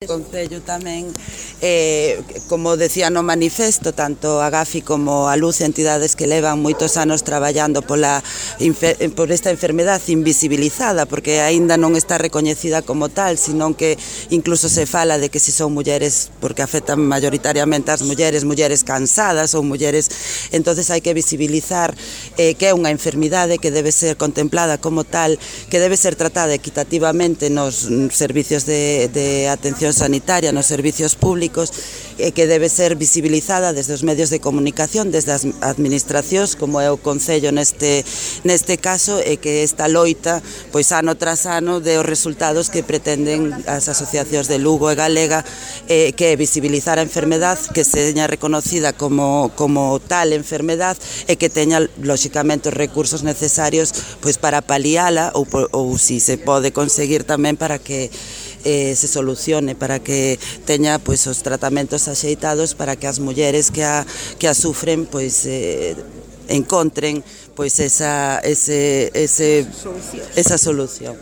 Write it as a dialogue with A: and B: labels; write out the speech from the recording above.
A: O Concello tamén, como decía no manifesto, tanto a Gafi como a Luz, entidades que levan moitos anos traballando por esta enfermedade invisibilizada, porque aínda non está recoñecida como tal, senón que incluso se fala de que se son mulleres, porque afectan mayoritariamente ás mulleres cansadas ou mulleres, entonces hai que visibilizar que é unha enfermidade que debe ser contemplada como tal, que debe ser tratada equitativamente nos servicios de atención sanitaria, nos servicios públicos, que debe ser visibilizada desde os medios de comunicación, desde as administracións, como é o Concello neste caso, e que esta loita, pois ano tras ano, de os resultados que pretenden as asociacións de Lugo e Galega, que é visibilizar a enfermedade, que se teña reconocida como tal enfermedade e que teña, lóxicamente, os recursos necesarios pois para paliala ou si se pode conseguir tamén para que se solucione, para que teña pois os tratamentos axeitados para que as mulleres que a sufren pois encontren pois esa solución.